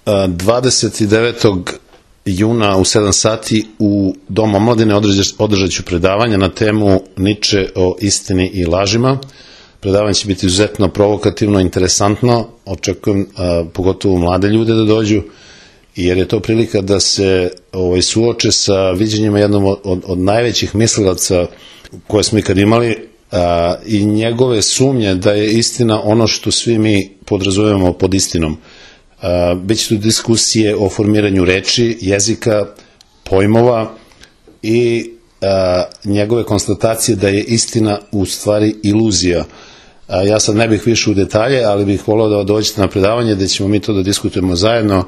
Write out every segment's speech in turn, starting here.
29. juna u 7 sati u Domu omladine održat ću predavanje na temu Niče o istini i lažima. Predavanje će biti izuzetno provokativno, interesantno, očekujem pogotovo mlade ljude da dođu, jer je to prilika da se suoče sa viđenjima jednom od najvećih mislilaca koje smo ikad imali i njegove sumnje da je istina ono što svi mi podrazumevamo pod istinom. Biće tu diskusije o formiranju reči, jezika, pojmova i njegove konstatacije da je istina u stvari iluzija. Ja sad ne bih više u detalje, ali bih voleo da dođete na predavanje gde ćemo mi to da diskutujemo zajedno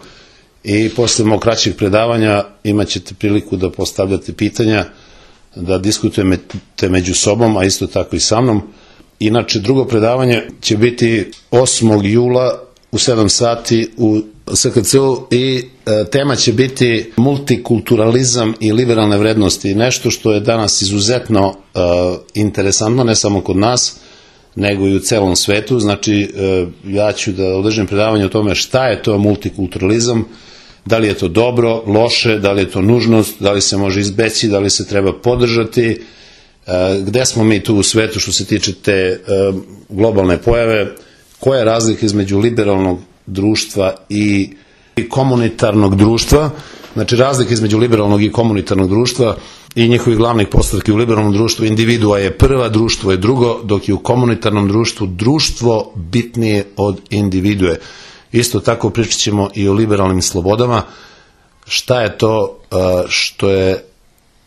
i posle mog kraćeg predavanja imat ćete priliku da postavljate pitanja, da diskutujete među sobom, a isto tako i sa mnom. Inače, drugo predavanje će biti 8. jula u 7 sati u SKC-u i tema će biti multikulturalizam i liberalne vrednosti, nešto što je danas izuzetno interesantno, ne samo kod nas, nego i u celom svetu. Znači, ja ću da održim predavanje o tome šta je to multikulturalizam, da li je to dobro, loše, da li je to nužnost, da li se može izbeći, da li se treba podržati, gde smo mi tu u svetu što se tiče te globalne pojave, koja je razlika između liberalnog društva i komunitarnog društva. Znači, razlika između liberalnog i komunitarnog društva i njihovih glavnih postavki. U liberalnom društvu individua je prva, društvo je drugo, dok je u komunitarnom društvu društvo bitnije od individue. Isto tako pričat ćemo i o liberalnim slobodama. Šta je to što je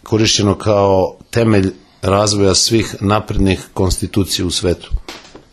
korišćeno kao temelj razvoja svih naprednih konstitucija u svetu?